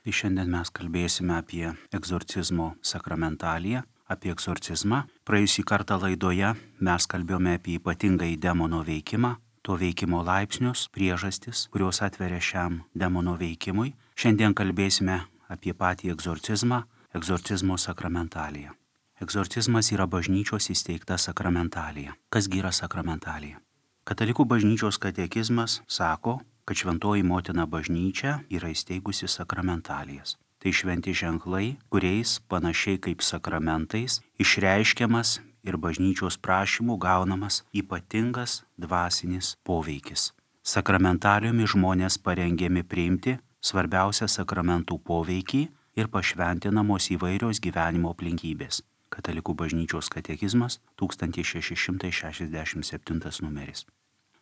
Tai šiandien mes kalbėsime apie egzorcizmo sakramentaliją, apie egzorcizmą. Praėjusį kartą laidoje mes kalbėjome apie ypatingąjį demono veikimą, to veikimo laipsnius, priežastis, kurios atveria šiam demono veikimui. Šiandien kalbėsime apie patį egzorcizmą, egzorcizmo sakramentaliją. Egzorcizmas yra bažnyčios įsteigta sakramentalija. Kasgi yra sakramentalija? Katalikų bažnyčios katekizmas sako, kad šventoji motina bažnyčia yra įsteigusi sakramentalijas. Tai šventi ženklai, kuriais panašiai kaip sakramentais išreiškiamas ir bažnyčios prašymų gaunamas ypatingas dvasinis poveikis. Sakramentalijomis žmonės parengiami priimti svarbiausią sakramentų poveikį ir pašventinamos įvairios gyvenimo aplinkybės. Katalikų bažnyčios katekizmas 1667 numeris.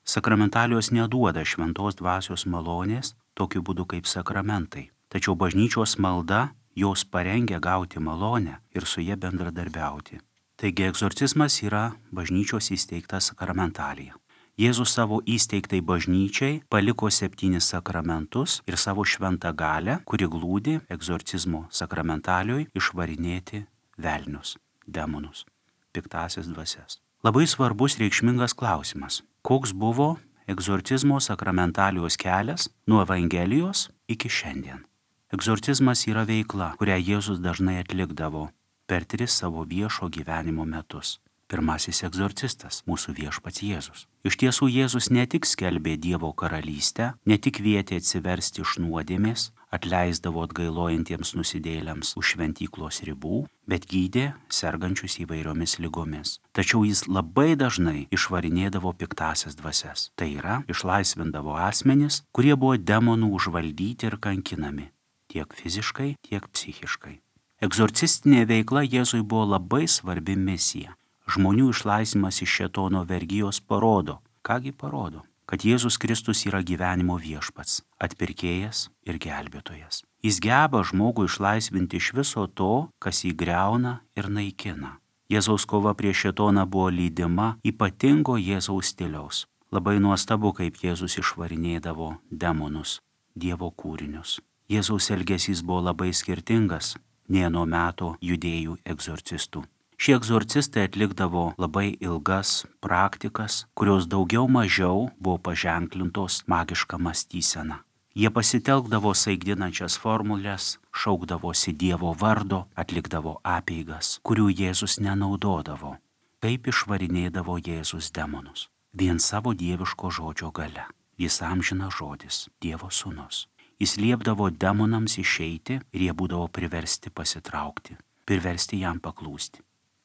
Sakramentalijos neduoda šventos dvasios malonės tokiu būdu kaip sakramentai, tačiau bažnyčios malda jos parengia gauti malonę ir su ja bendradarbiauti. Taigi egzorcizmas yra bažnyčios įsteigta sakramentalija. Jėzus savo įsteigtai bažnyčiai paliko 7 sakramentus ir savo šventą galią, kuri glūdi egzorcizmo sakramentalijoje išvarinėti velnius, demonus, piktąsias dvasias. Labai svarbus reikšmingas klausimas. Koks buvo egzorcizmo sakramentalijos kelias nuo Evangelijos iki šiandien? Egzorcizmas yra veikla, kurią Jėzus dažnai atlikdavo per 3 savo viešo gyvenimo metus. Pirmasis egzorcistas - mūsų viešpats Jėzus. Iš tiesų Jėzus ne tik skelbė Dievo karalystę, ne tik kvietė atsiversti iš nuodėmės, atleisdavo atgailojantiems nusidėjėliams už šventyklos ribų, bet gydė sergančius įvairiomis ligomis. Tačiau jis labai dažnai išvarinėdavo piktąsias dvasias. Tai yra, išlaisvindavo asmenis, kurie buvo demonų užvaldyti ir kankinami, tiek fiziškai, tiek psichiškai. Egzorcistinė veikla Jėzui buvo labai svarbi misija. Žmonių išlaisvimas iš šėtono vergijos parodo. Kągi parodo? Kad Jėzus Kristus yra gyvenimo viešpats, atpirkėjas ir gelbėtojas. Jis geba žmogų išlaisvinti iš viso to, kas jį griauna ir naikina. Jėzaus kova prieš šėtoną buvo lydima ypatingo Jėzaus stiliaus. Labai nuostabu, kaip Jėzus išvarinėdavo demonus, Dievo kūrinius. Jėzaus elgesys buvo labai skirtingas nei nuo meto judėjų egzorcistų. Šie egzorcistai atlikdavo labai ilgas praktikas, kurios daugiau mažiau buvo paženklintos magiška mąstysena. Jie pasitelkdavo saigdinančias formulės, šaukdavosi Dievo vardo, atlikdavo apeigas, kurių Jėzus nenaudodavo. Kaip išvarinėdavo Jėzus demonus? Vien savo dieviško žodžio gale. Jis amžinas žodis, Dievo sūnus. Jis liepdavo demonams išeiti ir jie būdavo priversti pasitraukti, priversti jam paklūsti.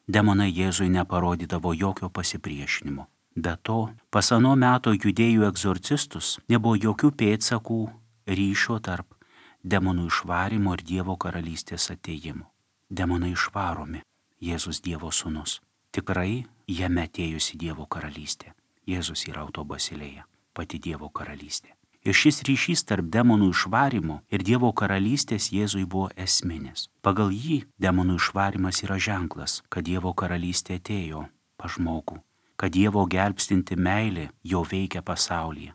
Demonai Jėzui neparodydavo jokio pasipriešinimo. Be to, pas ano meto judėjų egzorcistus nebuvo jokių pėdsakų ryšio tarp demonų išvarimo ir Dievo karalystės atėjimo. Demonai išvaromi, Jėzus Dievo sūnus. Tikrai jame atėjusi Dievo karalystė. Jėzus yra autobasilėje, pati Dievo karalystė. Ir šis ryšys tarp demonų išvarimo ir Dievo karalystės Jėzui buvo esminis. Pagal jį demonų išvarimas yra ženklas, kad Dievo karalystė atėjo pas žmogų, kad Dievo gelbstinti meilė jau veikia pasaulyje.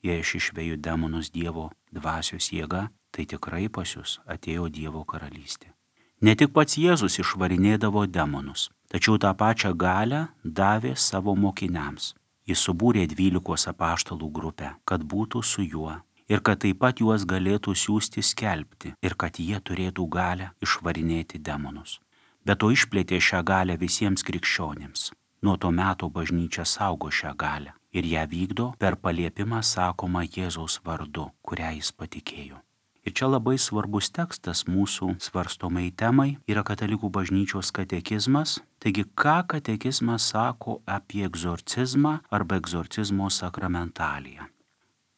Jei aš išveju demonus Dievo dvasios jėga, tai tikrai pas jūs atėjo Dievo karalystė. Ne tik pats Jėzus išvarinėdavo demonus, tačiau tą pačią galią davė savo mokiniams. Jis subūrė 12 apaštalų grupę, kad būtų su juo ir kad taip pat juos galėtų siųsti skelbti ir kad jie turėtų galią išvarinėti demonus. Be to išplėtė šią galią visiems krikščionims. Nuo to meto bažnyčia saugo šią galią ir ją vykdo per paliepimą sakomą Jėzaus vardu, kurią jis patikėjo. Ir čia labai svarbus tekstas mūsų svarstomai temai yra Katalikų bažnyčios katekizmas. Taigi, ką katekizmas sako apie egzorcizmą arba egzorcizmo sakramentaliją?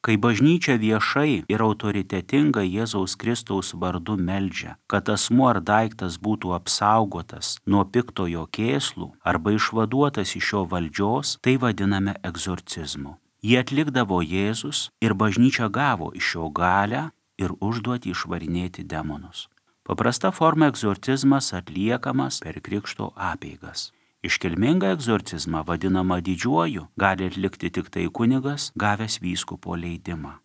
Kai bažnyčia viešai ir autoritetingai Jėzaus Kristaus vardu meldžia, kad asmuo ar daiktas būtų apsaugotas nuo piktojo kėslų arba išvaduotas iš jo valdžios, tai vadiname egzorcizmu. Jį atlikdavo Jėzus ir bažnyčia gavo iš jo galią ir užduoti išvarinėti demonus. Paprasta forma egzorcizmas atliekamas per krikšto apeigas. Iškilmingą egzorcizmą vadinamą didžiuoju gali atlikti tik tai kunigas, gavęs vyskupo leidimą.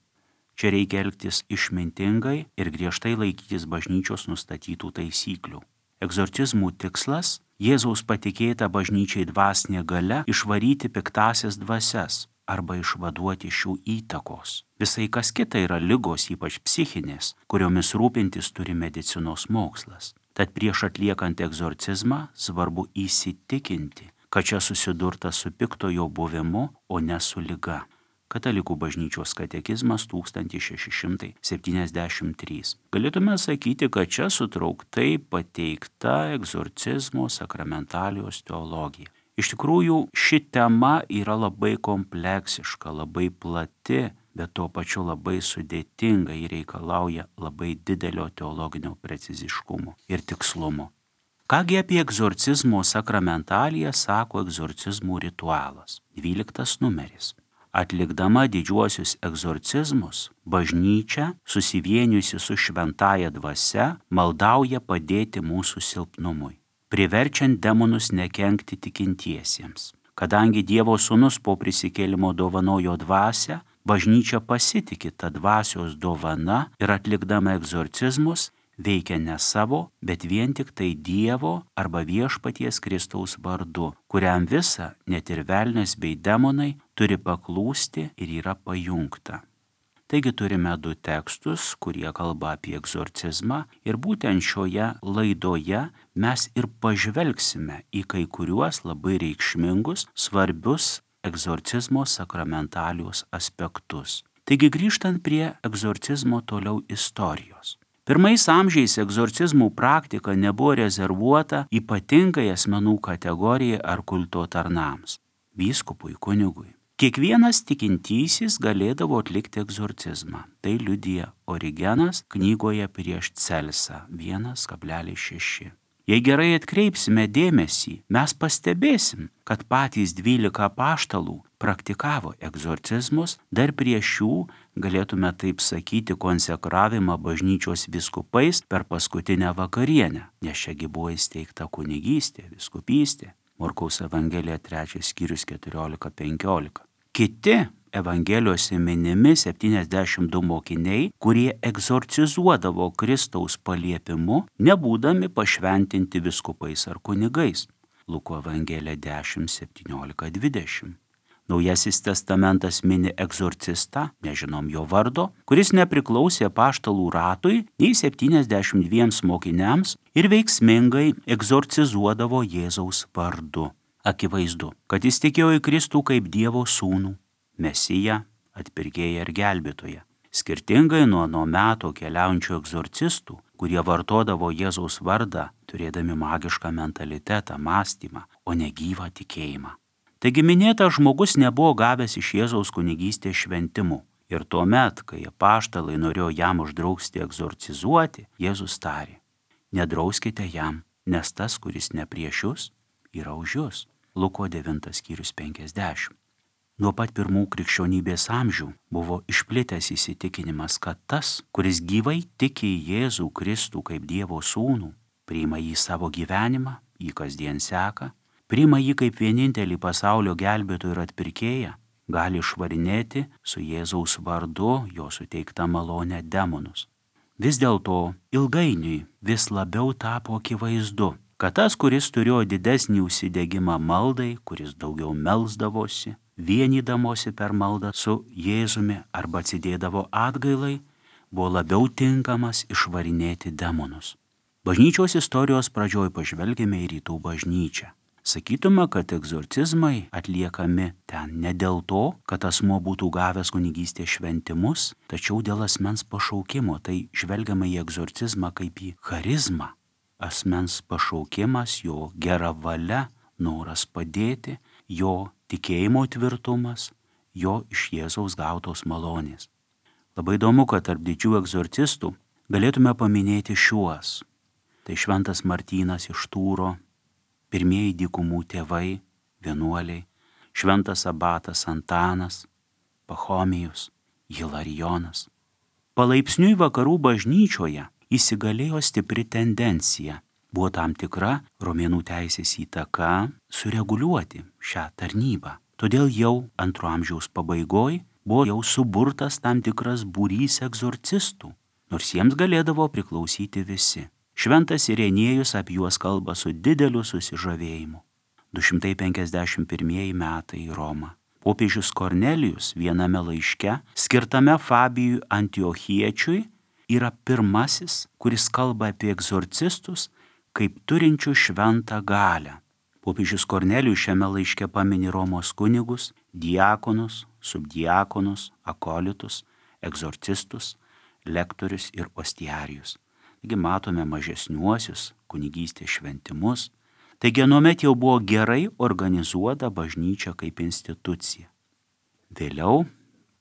Čia reikia elgtis išmintingai ir griežtai laikytis bažnyčios nustatytų taisyklių. Egzorcizmų tikslas – Jėzaus patikėta bažnyčiai dvasinė galia išvaryti piktąsias dvasias arba išvaduoti šių įtakos. Visai kas kita yra ligos, ypač psichinės, kuriomis rūpintis turi medicinos mokslas. Tad prieš atliekant egzorcizmą svarbu įsitikinti, kad čia susidurta su piktojo buvimu, o ne su liga. Katalikų bažnyčios katekizmas 1673. Galėtume sakyti, kad čia sutrauktai pateikta egzorcizmo sakramentalijos teologija. Iš tikrųjų, ši tema yra labai kompleksiška, labai plati, bet tuo pačiu labai sudėtinga ir reikalauja labai didelio teologinio preciziškumo ir tikslumo. Kągi apie egzorcizmo sakramentaliją sako egzorcizmų ritualas, 12 numeris. Atlikdama didžiuosius egzorcizmus, bažnyčia, susivienijusi su šventąja dvasia, maldauja padėti mūsų silpnumui, priverčiant demonus nekenkti tikintiesiems. Kadangi Dievo Sūnus po prisikėlimo dovanojo dvasią, bažnyčia pasitiki tą dvasios dovana ir atlikdama egzorcizmus veikia ne savo, bet vien tik tai Dievo arba Viešpaties Kristaus vardu, kuriam visa, net ir velnias bei demonai, turi paklūsti ir yra pajungta. Taigi turime 2 tekstus, kurie kalba apie egzorcizmą ir būtent šioje laidoje mes ir pažvelgsime į kai kuriuos labai reikšmingus, svarbius egzorcizmo sakramentalijos aspektus. Taigi grįžtant prie egzorcizmo toliau istorijos. Pirmais amžiais egzorcizmų praktika nebuvo rezervuota ypatingai asmenų kategorijai ar kulto tarnams – vyskupui, kunigui. Kiekvienas tikintysis galėdavo atlikti egzorcizmą. Tai liudija Origenas knygoje prieš Celsą 1,6. Jei gerai atkreipsime dėmesį, mes pastebėsim, kad patys 12 apaštalų praktikavo egzorcizmus, dar prieš jų, galėtume taip sakyti, konsekravimą bažnyčios vyskupais per paskutinę vakarienę, nes šiagi buvo įsteigta kunigystė, vyskupystė. Morkaus Evangelija 3 skyrius 14-15. Kiti Evangelijose minimi 72 mokiniai, kurie egzorcizuodavo Kristaus paliepimu, nebūdami pašventinti vyskupais ar kunigais. Luko Evangelija 10, 17, 20. Naujasis testamentas mini egzorcistą, nežinom jo vardo, kuris nepriklausė apaštalų ratui nei 72 mokiniams ir veiksmingai egzorcizuodavo Jėzaus vardu. Akivaizdu, kad jis tikėjo į Kristų kaip Dievo sūnų, Mesiją, atpirkėją ir gelbėtoją. Skirtingai nuo meto keliaujančių egzorcistų, kurie vartodavo Jėzaus vardą, turėdami magišką mentalitetą, mąstymą, o ne gyvą tikėjimą. Taigi minėtas žmogus nebuvo gavęs iš Jėzaus kunigystės šventimų. Ir tuomet, kai apaštalai norėjo jam uždrausti egzorcizuoti, Jėzus tarė: nedrauskite jam, nes tas, kuris ne prieš jūs, yra už jūs. Luko 9 skyrius 50. Nuo pat pirmų krikščionybės amžių buvo išplitęs įsitikinimas, kad tas, kuris gyvai tiki į Jėzų Kristų kaip Dievo sūnų, priima jį savo gyvenimą, jį kasdien seka, priima jį kaip vienintelį pasaulio gelbėtoją ir atpirkėją, gali išvarinėti su Jėzaus vardu jo suteikta malonė demonus. Vis dėlto ilgainiui vis labiau tapo akivaizdu, kad tas, kuris turėjo didesnį užsidegimą maldai, kuris daugiau melsdavosi, vienydamosi per maldą su Jėzumi arba atsidėdavo atgailai, buvo labiau tinkamas išvarinėti demonus. Bažnyčios istorijos pradžioj pažvelgėme į rytų bažnyčią. Sakytume, kad egzorcizmai atliekami ten ne dėl to, kad asmuo būtų gavęs kunigystės šventimus, tačiau dėl asmens pašaukimo. Tai žvelgiama į egzorcizmą kaip į charizmą. Asmens pašaukimas, jo gera valia, noras padėti, jo tikėjimo tvirtumas, jo iš Jėzaus gautos malonės. Labai įdomu, kad tarp didžių egzorcistų galėtume paminėti šiuos. Tai šventas Martynas iš Tūro, pirmieji dykumų tėvai, vienuoliai, šventas abatas Antanas, Pachomijus, Hilarijonas. Palaipsniui vakarų bažnyčioje įsigalėjo stipri tendencija. Buvo tam tikra romėnų teisės įtaka sureguliuoti šią tarnybą. Todėl jau 2 amžiaus pabaigoj buvo jau suburtas tam tikras būrys egzorcistų, nors jiems galėdavo priklausyti visi. Šventas Irenėjus apie juos kalba su dideliu susižavėjimu. 251 metai į Romą. Popiežius Kornelijus viename laiške, skirtame Fabijui Antiochiečiui, yra pirmasis, kuris kalba apie egzorcistus kaip turinčių šventą galią. Popiežius Kornelijus šiame laiške pamini Romos kunigus, diakonus, subdiakonus, akolitus, egzorcistus, lektorius ir ostiarijus. Taigi matome mažesniuosius kunigystės šventimus. Taigi anuomet jau buvo gerai organizuota bažnyčia kaip institucija. Vėliau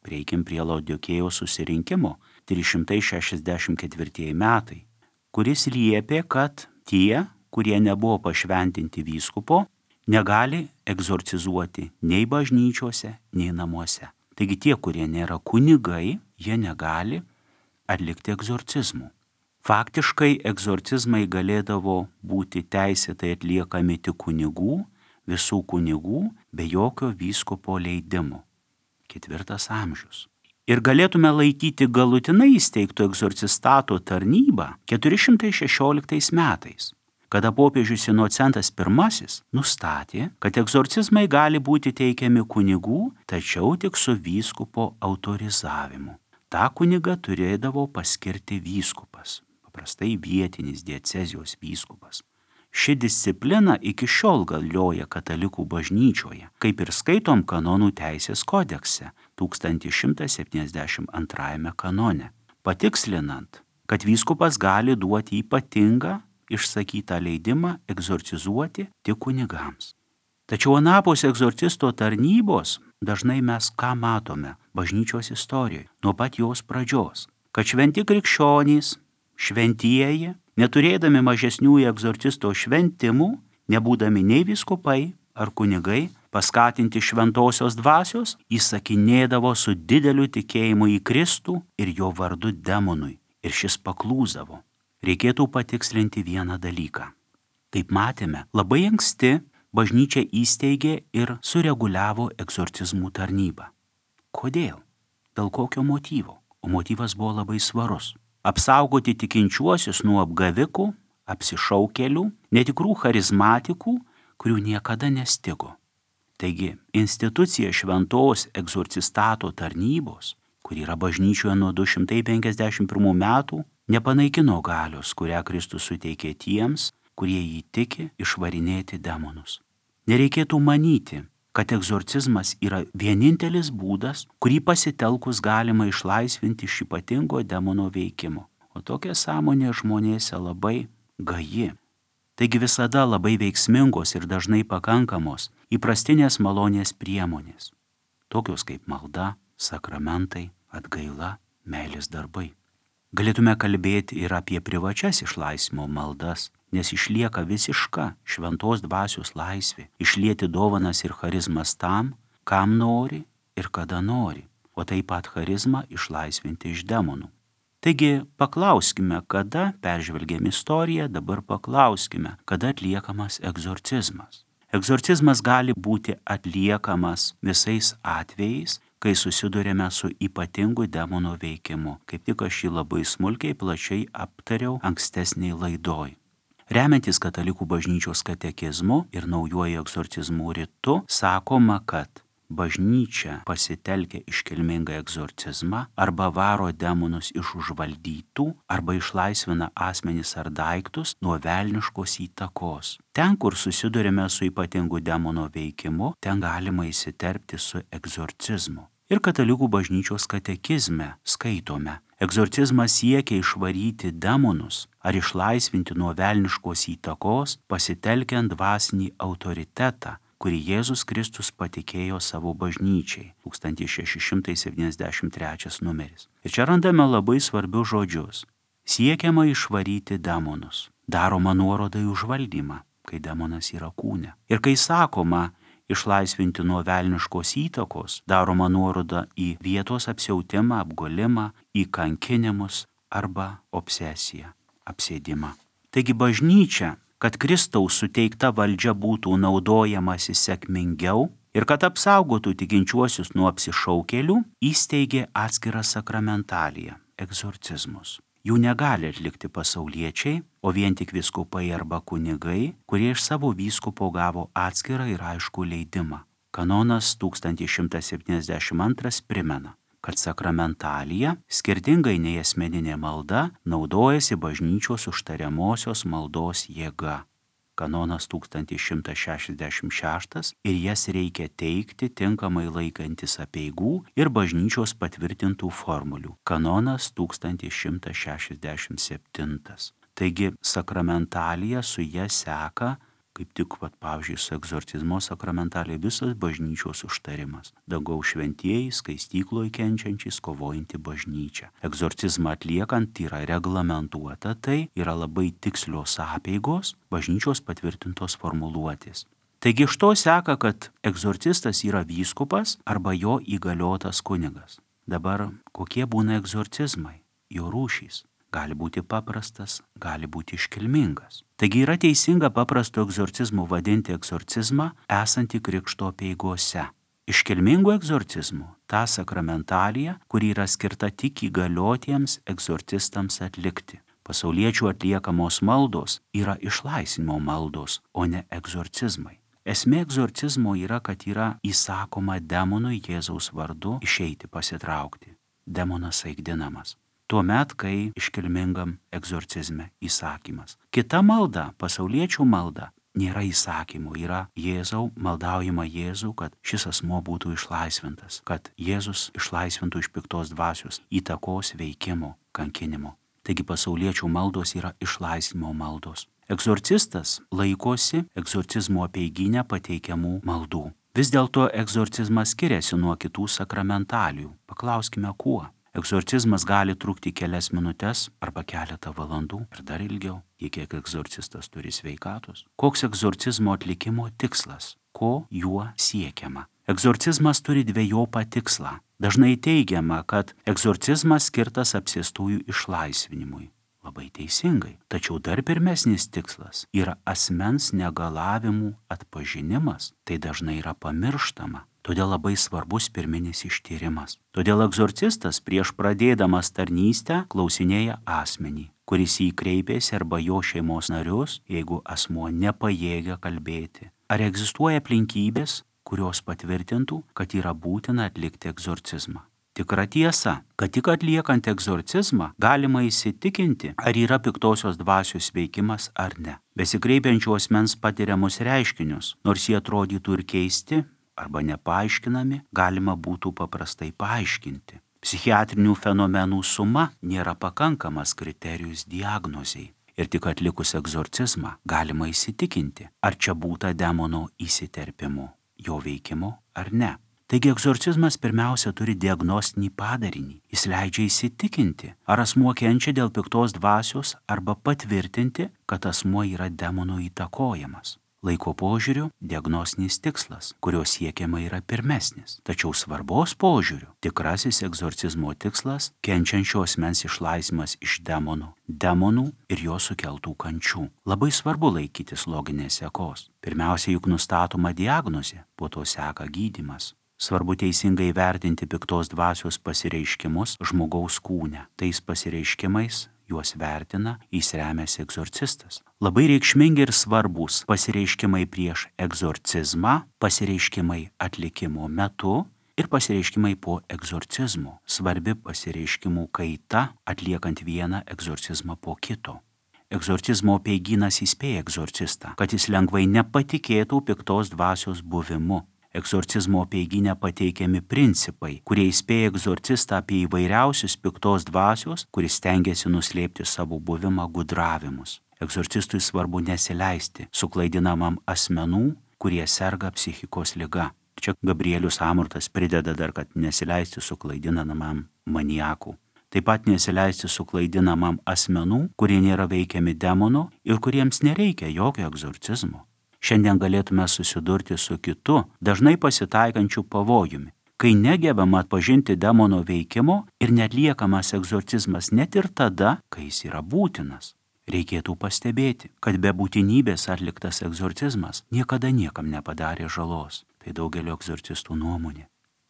prieikim prie Laudikėjos susirinkimo 364 metai, kuris liepė, kad tie, kurie nebuvo pašventinti vyskupo, negali egzorcizuoti nei bažnyčiose, nei namuose. Taigi tie, kurie nėra kunigai, jie negali atlikti egzorcizmų. Faktiškai egzorcizmai galėdavo būti teisėtai atliekami tik kunigų, visų kunigų, be jokio vyskupo leidimo. 4 amžius. Ir galėtume laikyti galutinai įsteigto egzorcistato tarnybą 416 metais, kada popiežius Inocentas I nustatė, kad egzorcizmai gali būti teikiami kunigų, tačiau tik su vyskupo autorizavimu. Ta kunigą turėdavo paskirti vyskupas, paprastai vietinis diecezijos vyskupas. Ši disciplina iki šiol galioja katalikų bažnyčioje, kaip ir skaitom kanonų teisės kodekse 1172 kanone, patikslinant, kad vyskupas gali duoti ypatingą išsakytą leidimą egzorcizuoti tik kunigams. Tačiau anapus egzorcisto tarnybos dažnai mes ką matome bažnyčios istorijoje nuo pat jos pradžios, kad šventi krikščionys, šventieji, neturėdami mažesnių egzorcisto šventimų, nebūdami nei vyskupai ar kunigai, paskatinti šventosios dvasios, įsakinėdavo su dideliu tikėjimu į Kristų ir jo vardu demonui, ir šis paklūsdavo. Reikėtų patikslinti vieną dalyką. Kaip matėme, labai anksti bažnyčia įsteigė ir sureguliavo egzorcizmų tarnybą. Kodėl? Dėl kokio motyvo? O motyvas buvo labai svarus. Apsaugoti tikinčiuosius nuo apgavikų, apsišaukėlių, netikrų charizmatikų, kurių niekada nestigo. Taigi, institucija šventos egzorcistato tarnybos, kuri yra bažnyčioje nuo 251 metų, nepanaikino galios, kurią Kristus suteikė tiems, kurie jį tiki išvarinėti demonus. Nereikėtų manyti, kad egzorcizmas yra vienintelis būdas, kurį pasitelkus galima išlaisvinti iš ypatingo demono veikimo. O tokia sąmonė žmonėse labai gaji. Taigi visada labai veiksmingos ir dažnai pakankamos įprastinės malonės priemonės, tokios kaip malda, sakramentai, atgaila, meilės darbai. Galėtume kalbėti ir apie privačias išlaisvimo maldas, nes išlieka visiška šventos dvasios laisvė išlieti dovanas ir charizmas tam, kam nori ir kada nori, o taip pat charizmą išlaisvinti iš demonų. Taigi paklauskime, kada peržvelgėm istoriją, dabar paklauskime, kada atliekamas egzorcizmas. Egzorcizmas gali būti atliekamas visais atvejais, kai susidurėme su ypatingu demono veikimu. Kaip tik aš jį labai smulkiai plačiai aptariau ankstesniai laidoj. Remiantis katalikų bažnyčios katekizmu ir naujuoju egzorcizmų ritu, sakoma, kad bažnyčia pasitelkia iškilmingą egzorcizmą arba varo demonus iš užvaldytų arba išlaisvina asmenis ar daiktus nuo velniškos įtakos. Ten, kur susidurime su ypatingu demono veikimu, ten galima įsiterpti su egzorcizmu. Ir katalikų bažnyčios katekizme skaitome: egzorcizmas siekia išvaryti demonus ar išlaisvinti nuo velniškos įtakos, pasitelkiant dvasinį autoritetą, kurį Jėzus Kristus patikėjo savo bažnyčiai. 1673 numeris. Ir čia randame labai svarbius žodžius. Siekiama išvaryti demonus. Daroma nuoroda į užvaldymą, kai demonas yra kūne. Ir kai sakoma išlaisvinti nuo velniškos įtakos, daroma nuoroda į vietos apsiautimą, apgolimą, į kankinimus arba obsesiją, apsėdimą. Taigi bažnyčia, kad Kristaus suteikta valdžia būtų naudojamasi sėkmingiau Ir kad apsaugotų tikinčiuosius nuo apsišaukėlių, įsteigė atskirą sakramentaliją – egzorcizmus. Jų negali atlikti pasauliečiai, o vien tik vyskupai arba kunigai, kurie iš savo vyskupo gavo atskirą ir aiškų leidimą. Kanonas 1172 primena, kad sakramentalija, skirtingai nei asmeninė malda, naudojasi bažnyčios užtariamosios maldos jėga. Kanonas 1166 ir jas reikia teikti tinkamai laikantis apeigų ir bažnyčios patvirtintų formulių. Kanonas 1167. Taigi sakramentalija su ja seka, kaip tik, pavyzdžiui, su egzorcizmo sakramentalija visas bažnyčios užtarimas. Dangaus šventieji, skaistykloje kenčiančiais, kovojanti bažnyčia. Egzorcizmą atliekant yra reglamentuota, tai yra labai tikslios apeigos, bažnyčios patvirtintos formuluotės. Taigi iš to seka, kad egzorcistas yra vyskupas arba jo įgaliotas kunigas. Dabar kokie būna egzorcizmai, jo rūšys? Gali būti paprastas, gali būti iškilmingas. Taigi yra teisinga paprasto egzorcizmu vadinti egzorcizmą esantį krikšto apeigose. Iškilmingų egzorcizmų ta sakramentalija, kuri yra skirta tik įgaliotiems egzorcistams atlikti. Pasauliečių atliekamos maldos yra išlaisvinimo maldos, o ne egzorcizmai. Esmė egzorcizmo yra, kad yra įsakoma demonui Jėzaus vardu išeiti pasitraukti. Demonas aigdinamas. Tuomet, kai iškilmingam egzorcizme įsakymas. Kita malda, pasauliečių malda, nėra įsakymų, yra Jėzau, maldaujama Jėzų, kad šis asmuo būtų išlaisvintas, kad Jėzus išlaisvintų iš piktos dvasios, įtakos, veikimo, kankinimo. Taigi pasauliečių maldos yra išlaisvinimo maldos. Egzorcistas laikosi egzorcizmo apeiginę pateikiamų maldų. Vis dėlto egzorcizmas skiriasi nuo kitų sakramentalijų. Paklauskime, kuo? Egzorcizmas gali trukti kelias minutes arba keletą valandų ir dar ilgiau, kiek egzorcistas turi sveikatos. Koks egzorcizmo atlikimo tikslas? Ko juo siekiama? Egzorcizmas turi dvejopą tikslą. Dažnai teigiama, kad egzorcizmas skirtas apsėstųjų išlaisvinimui. Labai teisingai. Tačiau dar pirmesnis tikslas yra asmens negalavimų atpažinimas. Tai dažnai yra pamirštama. Todėl labai svarbus pirminis ištyrimas. Todėl egzorcistas prieš pradėdamas tarnystę klausinėja asmenį, kuris į jį kreipėsi arba jo šeimos narius, jeigu asmuo nepajėgia kalbėti. Ar egzistuoja aplinkybės, kurios patvirtintų, kad yra būtina atlikti egzorcizmą? Tikra tiesa, kad tik atliekant egzorcizmą galima įsitikinti, ar yra piktosios dvasios veikimas ar ne. Besikreipiančių asmens patiriamus reiškinius, nors jie atrodytų ir keisti, arba nepaaiškinami, galima būtų paprastai paaiškinti. Psichiatrinių fenomenų suma nėra pakankamas kriterijus diagnozei. Ir tik atlikus egzorcizmą galima įsitikinti, ar čia būta demono įsiterpimo, jo veikimo ar ne. Taigi egzorcizmas pirmiausia turi diagnostinį padarinį. Jis leidžia įsitikinti, ar asmuo kenčia dėl piktos dvasios arba patvirtinti, kad asmuo yra demono įtakojamas. Laiko požiūriu diagnostinis tikslas, kurio siekiama yra pirmesnis. Tačiau svarbos požiūriu tikrasis egzorcizmo tikslas – kenčiančio asmens išlaisvimas iš demonų ir jo sukeltų kančių. Labai svarbu laikytis loginės sekos. Pirmiausia, juk nustatoma diagnozė, po to seka gydymas. Svarbu teisingai vertinti piktos dvasios pasireiškimus žmogaus kūne. Tais pasireiškimais juos vertina, jis remiasi egzorcistas. Labai reikšmingi ir svarbus pasireiškimai prieš egzorcizmą, pasireiškimai atlikimo metu ir pasireiškimai po egzorcizmo. Svarbi pasireiškimų kaita atliekant vieną egzorcizmą po kito. Egzorcizmo apeigynas įspėja egzorcistą, kad jis lengvai nepatikėtų piktos dvasios buvimu. Egzorcizmo apeigyne pateikiami principai, kurie įspėja egzorcistą apie įvairiausius piktos dvasios, kuris stengiasi nuslėpti savo buvimą gudravimus. Egzorcistui svarbu nesileisti suklaidinamam asmenų, kurie serga psichikos liga. Čia Gabrielius Amortas prideda dar, kad nesileisti suklaidinamam maniakų. Taip pat nesileisti suklaidinamam asmenų, kurie nėra veikiami demono ir kuriems nereikia jokio egzorcizmo. Šiandien galėtume susidurti su kitu, dažnai pasitaikančiu pavojumi, kai negebama atpažinti demono veikimo ir neatliekamas egzorcizmas net ir tada, kai jis yra būtinas. Reikėtų pastebėti, kad be būtinybės atliktas egzorcizmas niekada niekam nepadarė žalos. Tai daugelio egzorcistų nuomonė.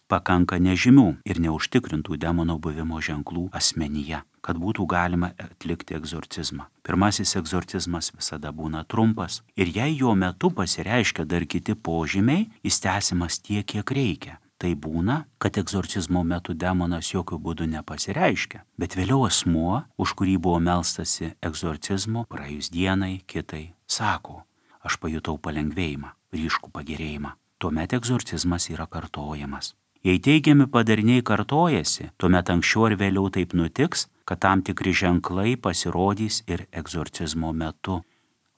Pakanka nežymių ir neužtikrintų demono buvimo ženklų asmenyje, kad būtų galima atlikti egzorcizmą. Pirmasis egzorcizmas visada būna trumpas ir jei jo metu pasireiškia dar kiti požymiai, jis tęsiamas tiek, kiek reikia. Tai būna, kad egzorcizmo metu demonas jokių būdų nepasireiškia, bet vėliau asmuo, už kurį buvo melstasi egzorcizmo, praėjus dienai, kitai, sako, aš pajutau palengvėjimą, ryškų pagerėjimą. Tuomet egzorcizmas yra kartojamas. Jei teigiami padariniai kartojasi, tuomet anksčiau ar vėliau taip nutiks, kad tam tikri ženklai pasirodys ir egzorcizmo metu.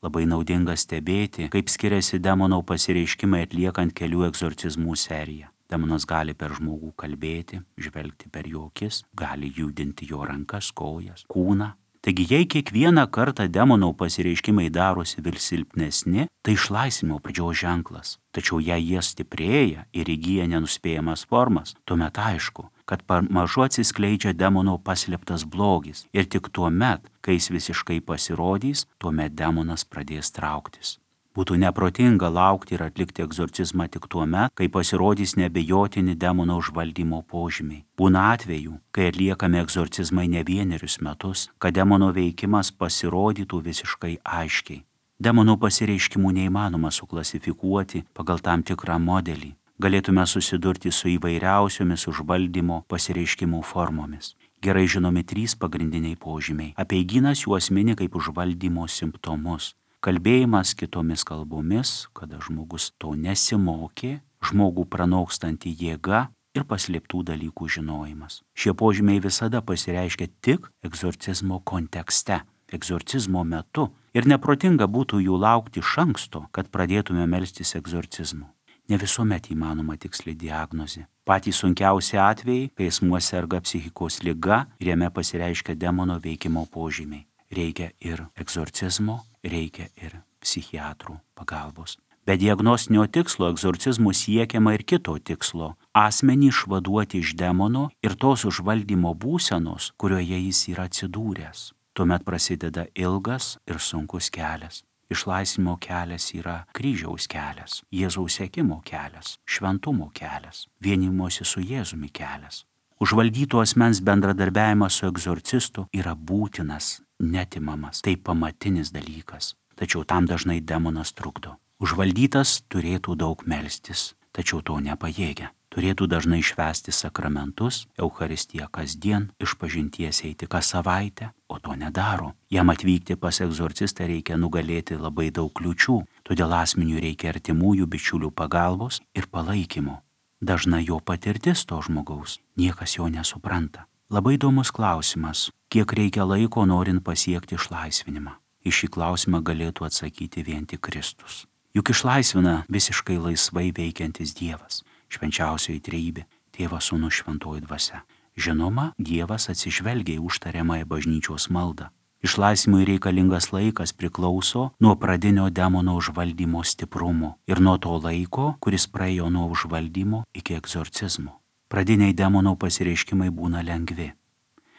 Labai naudinga stebėti, kaip skiriasi demono pasireiškimai atliekant kelių egzorcizmų seriją. Demonas gali per žmogų kalbėti, žvelgti per jo akis, gali judinti jo rankas, kojas, kūną. Taigi jei kiekvieną kartą demono pasireiškimai darosi vis silpnesni, tai išlaisvinimo pradžios ženklas. Tačiau jei jie stiprėja ir įgyja nenuspėjamas formas, tuomet aišku, kad pamažu atsiskleidžia demono paslėptas blogis ir tik tuomet, kai jis visiškai pasirodys, tuomet demonas pradės trauktis. Būtų neprotinga laukti ir atlikti egzorcizmą tik tuomet, kai pasirodys nebejotini demono užvaldymo požymiai. Būna atvejų, kai atliekami egzorcizmai ne vienerius metus, kad demono veikimas pasirodytų visiškai aiškiai. Demono pasireiškimų neįmanoma suklasifikuoti pagal tam tikrą modelį. Galėtume susidurti su įvairiausiomis užvaldymo pasireiškimų formomis. Gerai žinomi 3 pagrindiniai požymiai. Apeigynas juos mini kaip užvaldymo simptomus. Kalbėjimas kitomis kalbomis, kada žmogus to nesimokė, žmogų pranokstanti jėga ir paslėptų dalykų žinojimas. Šie požymiai visada pasireiškia tik egzorcizmo kontekste, egzorcizmo metu ir neprotinga būtų jų laukti iš anksto, kad pradėtume melstis egzorcizmu. Ne visuomet įmanoma tiksli diagnozė. Patys sunkiausi atvejai, kai asmuo serga psichikos liga ir jame pasireiškia demono veikimo požymiai. Reikia ir egzorcizmo, reikia ir psichiatrų pagalbos. Be diagnostinio tikslo egzorcizmų siekiama ir kito tikslo – asmenį išvaduoti iš demono ir tos užvaldymo būsenos, kurioje jis yra atsidūręs. Tuomet prasideda ilgas ir sunkus kelias. Išlaisvinimo kelias yra kryžiaus kelias, Jėzaus sekimo kelias, šventumo kelias, vienimosi su Jėzumi kelias. Užvaldyto asmens bendradarbiavimas su egzorcistu yra būtinas, netimamas, tai pamatinis dalykas, tačiau tam dažnai demonas trukdo. Užvaldytas turėtų daug melstis, tačiau to nepajėgia. Turėtų dažnai švęsti sakramentus, Eucharistiją kasdien, išpažinties eiti kas savaitę, o to nedaro. Jam atvykti pas egzorcistą reikia nugalėti labai daug kliūčių, todėl asmeniui reikia artimųjų bičiulių pagalbos ir palaikymo. Dažnai jo patirtis to žmogaus, niekas jo nesupranta. Labai įdomus klausimas, kiek reikia laiko norint pasiekti išlaisvinimą. Į šį klausimą galėtų atsakyti vien tik Kristus. Juk išlaisvina visiškai laisvai veikiantis Dievas, švenčiausioji trejybė, Tėvas, Sūnus, Šventoji Dvasia. Žinoma, Dievas atsižvelgia į užtariamąją bažnyčios maldą. Išlaisvinimui reikalingas laikas priklauso nuo pradinio demono užvaldymo stiprumo ir nuo to laiko, kuris praėjo nuo užvaldymo iki egzorcizmo. Pradiniai demono pasireiškimai būna lengvi.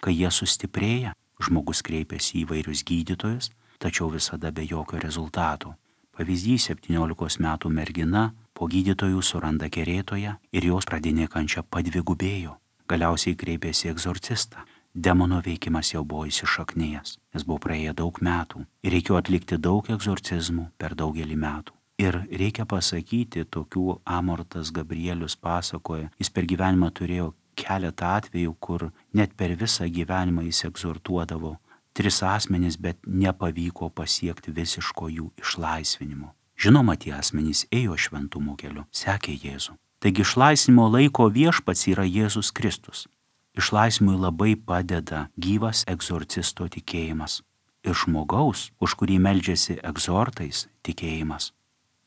Kai jie sustiprėja, žmogus kreipiasi į įvairius gydytojus, tačiau visada be jokio rezultato. Pavyzdys 17 metų mergina po gydytojų suranda kerėtoją ir jos pradinė kančia padvigubėjo. Galiausiai kreipėsi į egzorcistą. Demono veikimas jau buvo įsišaknėjęs, nes buvo praėję daug metų ir reikėjo atlikti daug egzorcizmų per daugelį metų. Ir reikia pasakyti, tokių Amortas Gabrielius pasakoja, jis per gyvenimą turėjo keletą atvejų, kur net per visą gyvenimą jis egzortuodavo 3 asmenys, bet nepavyko pasiekti visiško jų išlaisvinimo. Žinoma, tie asmenys ėjo šventumo keliu, sekė Jėzų. Taigi išlaisvinimo laiko viešpats yra Jėzus Kristus. Išlaisvinimui labai padeda gyvas egzorcisto tikėjimas ir žmogaus, už kurį meldžiasi egzortais, tikėjimas.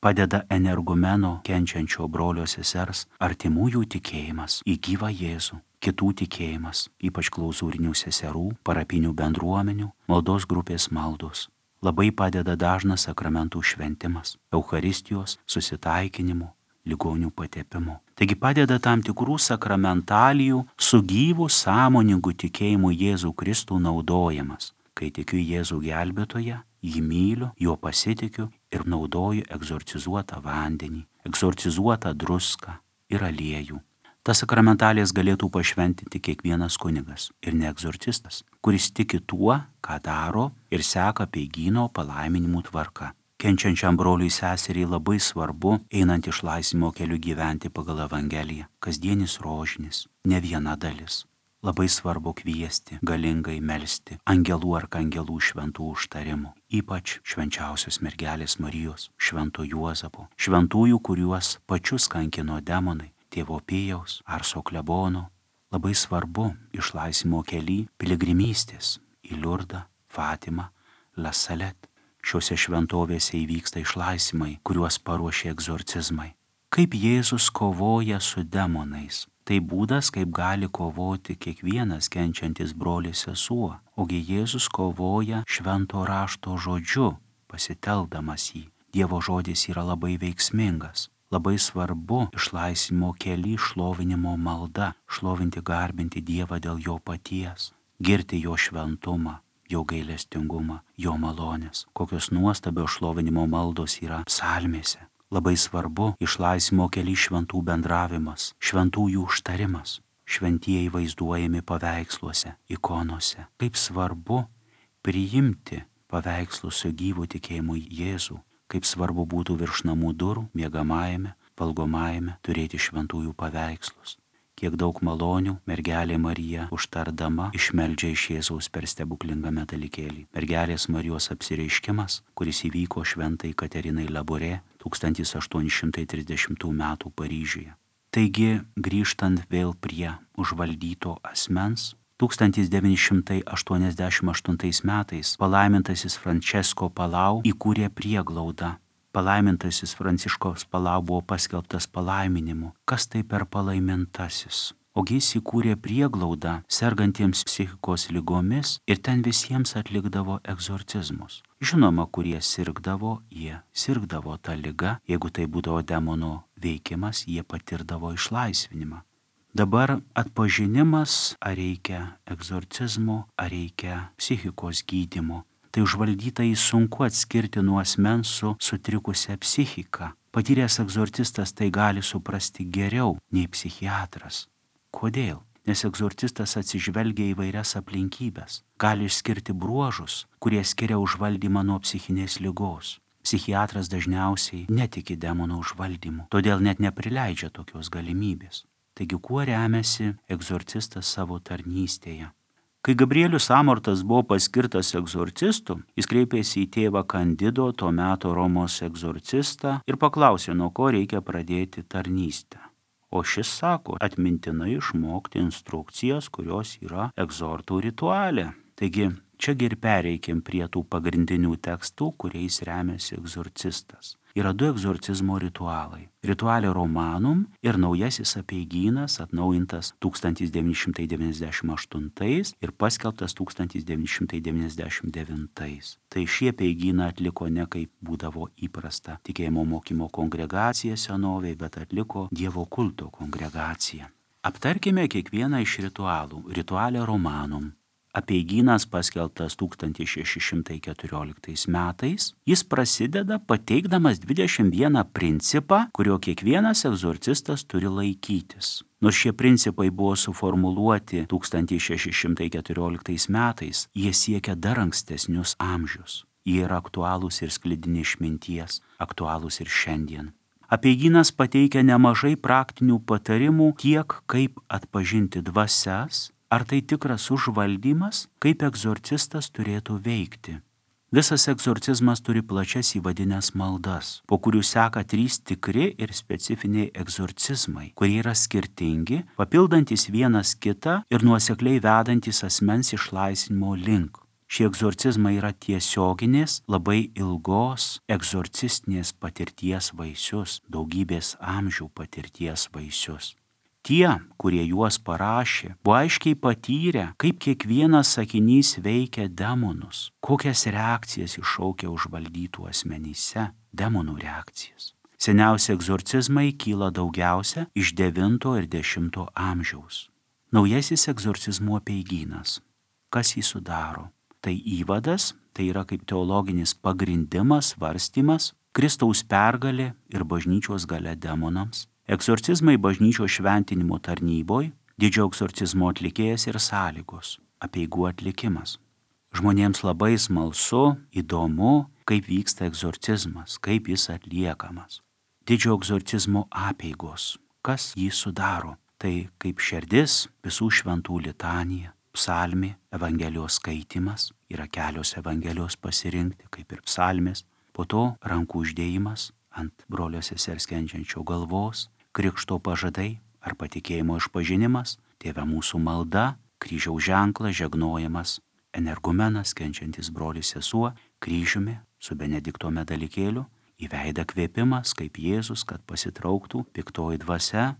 Padeda energumeno kenčiančio brolio sesers artimųjų tikėjimas į gyvą Jėzų, kitų tikėjimas, ypač klauzūrinių seserų, parapinių bendruomenių, maldos grupės maldos. Labai padeda dažnas sakramentų šventimas, Eucharistijos, susitaikinimo, ligonių patepimo. Taigi padeda tam tikrų sakramentalijų su gyvu sąmoningu tikėjimu Jėzų Kristų naudojimas. Kai tikiu Jėzų gelbėtoją, jį myliu, juo pasitikiu ir naudoju egzorcizuotą vandenį, egzorcizuotą druską ir aliejų. Tas sakramentalijas galėtų pašventinti kiekvienas kunigas ir ne egzorcistas, kuris tiki tuo, ką daro ir seka apeigyno palaiminimų tvarka. Kenčiančiam broliui seseriai labai svarbu, einant išlaisvinimo keliu, gyventi pagal Evangeliją, kasdienis rožinis, ne viena dalis. Labai svarbu kviesti, galingai melsti angelų arkangelų šventų užtarimų, ypač švenčiausios mergelės Marijos, švento Juozapo, šventųjų, kuriuos pačius kankino demonai, tėvo Pijaus ar Soklebono. Labai svarbu išlaisvinimo kely piligrimystės į Liurdą, Fatimą, La Salette. Šiuose šventovėse įvyksta išlaisvimai, kuriuos paruošė egzorcizmai. Kaip Jėzus kovoja su demonais. Tai būdas, kaip gali kovoti kiekvienas kenčiantis brolis sesuo. Ogi Jėzus kovoja švento rašto žodžiu, pasitelkdamas jį. Dievo žodis yra labai veiksmingas. Labai svarbu išlaisvinimo kely šlovinimo malda, šlovinti, garbinti Dievą dėl jo paties, girti jo šventumą, jo gailestingumą, jo malonės. Kokios nuostabios šlovinimo maldos yra psalmėse. Labai svarbu išlaisvinimo kely šventų bendravimas, šventųjų užtarimas. Šventieji vaizduojami paveiksluose, ikonose. Kaip svarbu priimti paveikslus su gyvu tikėjimu Jėzų. Kaip svarbu būtų virš namų durų, miegamajame, valgomajame turėti šventųjų paveikslus. Kiek daug malonių mergelė Marija užtardama išmeldžia iš Jėzaus per stebuklingą metalikėlį. Mergelės Marijos apsireiškimas, kuris įvyko šventai Katerinai Laborė 1830 m. Paryžiuje. Taigi, grįžtant vėl prie užvaldyto asmens, 1988 metais palaimintasis Francesco Palau įkūrė prieglaudą. Palaimintasis Pranciškos Palau buvo paskelbtas palaiminimu. Kas tai per palaimintasis? Ogi jis įkūrė prieglaudą sergantiems psichikos ligomis ir ten visiems atlikdavo egzorcizmus. Žinoma, kurie sirgdavo, jie sirgdavo tą ligą. Jeigu tai būdavo demono veikimas, jie patirdavo išlaisvinimą. Dabar atpažinimas, ar reikia egzorcizmo, ar reikia psichikos gydymo. Tai užvaldytai sunku atskirti nuo asmens su sutrikusia psichika. Patyręs egzorcistas tai gali suprasti geriau nei psichiatras. Kodėl? Nes egzorcistas atsižvelgia įvairias aplinkybės. Gali išskirti bruožus, kurie skiria užvaldymą nuo psichinės ligos. Psichiatras dažniausiai netiki demono užvaldymu, todėl net neprileidžia tokios galimybės. Taigi kuo remiasi egzorcistas savo tarnystėje? Kai Gabrielius Amortas buvo paskirtas egzorcistu, jis kreipėsi į tėvą Kandido, tuo metu Romos egzorcistą, ir paklausė, nuo ko reikia pradėti tarnystę. O šis sako, atmintinai išmokti instrukcijas, kurios yra egzortų rituale. Taigi, čiagi ir pereikim prie tų pagrindinių tekstų, kuriais remiasi egzorcistas. Yra du egzorcizmo ritualai. Ritualė Romanum ir naujasis apeigynas, atnaujintas 1998 ir paskelbtas 1999. Tai šie apeigyną atliko ne kaip būdavo įprasta tikėjimo mokymo kongregacija senovėj, bet atliko Dievo kulto kongregacija. Aptarkime kiekvieną iš ritualų. Ritualė Romanum. Apeigynas paskelbtas 1614 metais. Jis prasideda pateikdamas 21 principą, kurio kiekvienas egzorcistas turi laikytis. Nors šie principai buvo suformuluoti 1614 metais, jie siekia dar ankstesnius amžius. Jie yra aktualūs ir sklidini išminties, aktualūs ir šiandien. Apeigynas pateikia nemažai praktinių patarimų tiek kaip atpažinti dvasias, ar tai tikras užvaldymas, kaip egzorcistas turėtų veikti. Visas egzorcizmas turi plačias įvadinės maldas, po kurių seka 3 tikri ir specifiniai egzorcizmai, kurie yra skirtingi, papildantis vienas kitą ir nuosekliai vedantis asmens išlaisvinimo link. Šie egzorcizmai yra tiesioginės, labai ilgos egzorcistinės patirties vaisius, daugybės amžių patirties vaisius. Tie, kurie juos parašė, buvo aiškiai patyrę, kaip kiekvienas sakinys veikia demonus, kokias reakcijas iššaukia užvaldytų asmenyse, demonų reakcijas. Seniausi egzorcizmai kyla daugiausia iš 9 ir 10 amžiaus. Naujasis egzorcizmo apeigynas. Kas jį sudaro? tai įvadas, tai yra kaip teologinis pagrindimas, svarstymas, Kristaus pergalė ir bažnyčios galia demonams, egzorcizmai bažnyčios šventinimo tarnyboj, didžiojo egzorcizmo atlikėjas ir sąlygos, apeigų atlikimas. Žmonėms labai smalsu, įdomu, kaip vyksta egzorcizmas, kaip jis atliekamas. Didžiojo egzorcizmo apeigos, kas jį sudaro, tai kaip širdis, visų šventų litanija, psalmė, evangelijos skaitimas, yra kelios evangelijos pasirinkti, kaip ir psalmės, po to rankų uždėjimas ant brolio sesers kenčiančio galvos, krikšto pažadai ar patikėjimo išpažinimas, Tėve mūsų malda, kryžiaus ženklas, žegnojimas, energumenas, kenčiantis brolis sesuo, kryžiumi su Benedikto medalikėliu, į veidą kvėpimas, kaip Jėzus, kad pasitrauktų piktoji dvasia,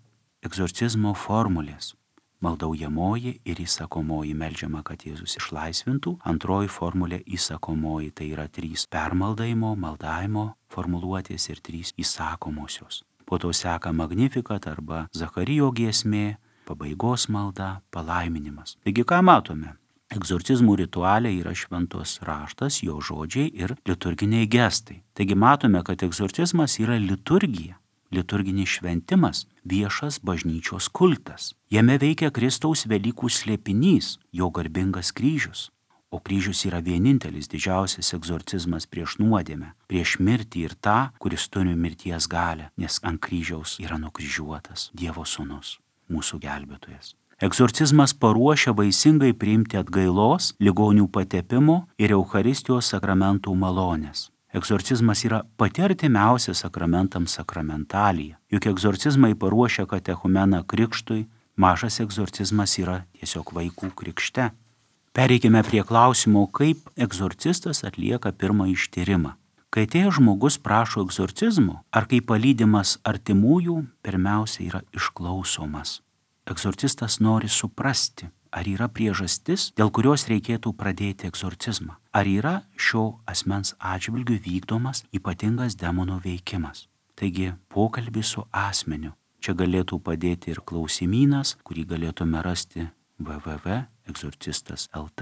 egzorcizmo formulės. Maldaujamoji ir įsakomoji meldžiama, kad Jėzus išlaisvintų. Antroji formulė įsakomoji, tai yra 3 permaldavimo, maldavimo formuluotės ir 3 įsakomosios. Po to seka Magnificat arba Zacharijo giesmė, pabaigos malda, palaiminimas. Taigi ką matome? Egzorcizmų rituale yra šventos raštas, jo žodžiai ir liturginiai gestai. Taigi matome, kad egzorcizmas yra liturgija. Liturginis šventimas, viešas bažnyčios kultas. Jame veikia Kristaus Velykų slėpinys, jo garbingas kryžius. O kryžius yra vienintelis didžiausias egzorcizmas prieš nuodėmę, prieš mirtį ir tą, kuris turi mirties galią, nes ant kryžiaus yra nukryžiuotas Dievo sūnus, mūsų gelbėtojas. Egzorcizmas paruošia vaisingai priimti atgailos, ligonių patepimo ir Eucharistijos sakramentų malonės. Egzorcizmas yra pati artimiausia sakramentams sakramentalija. Juk egzorcizmai paruošia katechumeną krikštui, mažas egzorcizmas yra tiesiog vaikų krikšte. Pereikime prie klausimo, kaip egzorcistas atlieka pirmą ištyrimą. Kai atėjęs žmogus prašo egzorcizmo, ar kai palydimas artimųjų, pirmiausia yra išklausomas. Egzorcistas nori suprasti, ar yra priežastis, dėl kurios reikėtų pradėti egzorcizmą. Ar yra šio asmens atžvilgiu vykdomas ypatingas demono veikimas. Taigi pokalbis su asmeniu. Čia galėtų padėti ir klausimynas, kurį galėtume rasti www.egzorcistas.lt.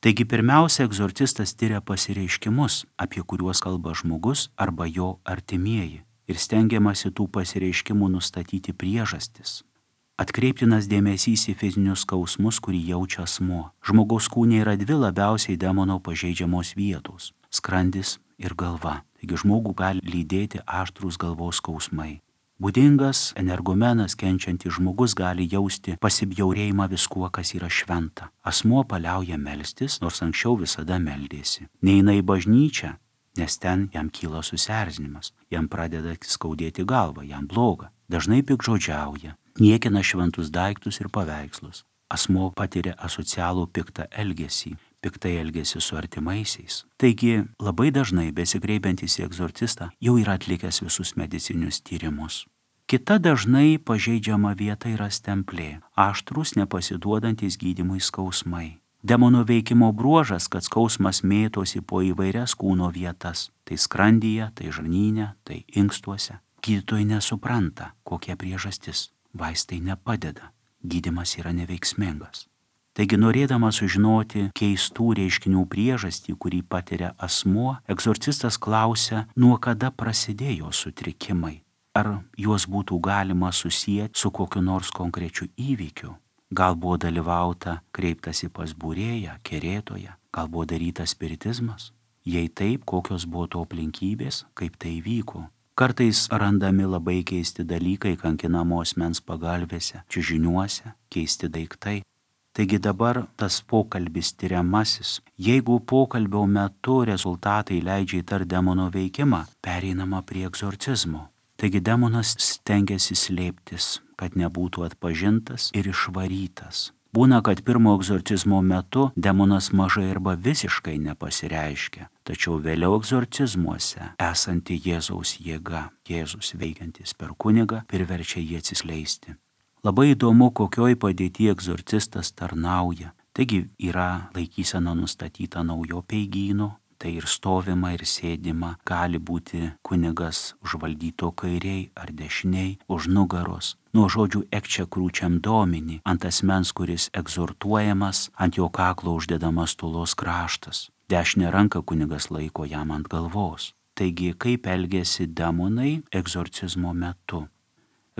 Taigi pirmiausia, egzorcistas tyria pasireiškimus, apie kuriuos kalba žmogus arba jo artimieji. Ir stengiamasi tų pasireiškimų nustatyti priežastis. Atkreiptinas dėmesys į fizinius skausmus, kurį jaučia asmuo. Žmogaus kūne yra 2 labiausiai demono pažeidžiamos vietos – skrandis ir galva. Taigi žmogų gali lydėti aštrūs galvos skausmai. Būdingas energumenas kenčiantis žmogus gali jausti pasibjaurėjimą viskuo, kas yra šventa. Asmuo paliauja melstis, nors anksčiau visada meldėsi. Neina į bažnyčią, nes ten jam kyla susierzinimas. Jam pradeda skaudėti galvą, jam bloga. Dažnai piktžodžiauja. Niekina šventus daiktus ir paveikslus. Asmuo patiria asocialų piktą elgesį, piktai elgesį su artimaisiais. Taigi labai dažnai besikreipiantis į egzorcistą jau yra atlikęs visus medicinius tyrimus. Kita dažnai pažeidžiama vieta yra stemplė, aštrūs nepasiduodantis gydymui skausmai. Demono veikimo bruožas, kad skausmas mėtosi po įvairias kūno vietas, tai skrandyje, tai žarnyne, tai inkstuose. Gydytojai nesupranta, kokia priežastis. Vaistai nepadeda, gydymas yra neveiksmingas. Taigi norėdamas sužinoti keistų reiškinių priežastį, kurį patiria asmuo, egzorcistas klausia, nuo kada prasidėjo sutrikimai. Ar juos būtų galima susijęti su kokiu nors konkrečiu įvykiu. Gal buvo dalyvauta kreiptasi pas būrėją, kerėtoją, gal buvo darytas spiritizmas. Jei taip, kokios buvo to aplinkybės, kaip tai vyko. Kartais randami labai keisti dalykai kankinamo asmens pagalvėse, čiužiniuose, keisti daiktai. Taigi dabar tas pokalbis tyriamasis. Jeigu pokalbio metu rezultatai leidžia įtarti demono veikimą, pereinama prie egzorcizmo. Taigi demonas stengiasi slėptis, kad nebūtų atpažintas ir išvarytas. Būna, kad pirmo egzorcizmo metu demonas mažai arba visiškai nepasireiškia, tačiau vėliau egzorcizmuose esanti Jėzaus jėga, Jėzus veikiantis per kunigą, priverčia jį atsiskleisti. Labai įdomu, kokioj padėtyje egzorcistas tarnauja. Taigi yra laikysena nustatyta naujo peigyno, tai ir stovima, ir sėdima, gali būti kunigas užvaldyto kairiai ar dešiniai, už nugaros. Nuo žodžių ekčia krūčiam domini, ant asmens, kuris egzortuojamas, ant jo kaklo uždedamas tulos kraštas. Dešinę ranką kunigas laiko jam ant galvos. Taigi, kaip elgiasi demonai egzorcizmo metu?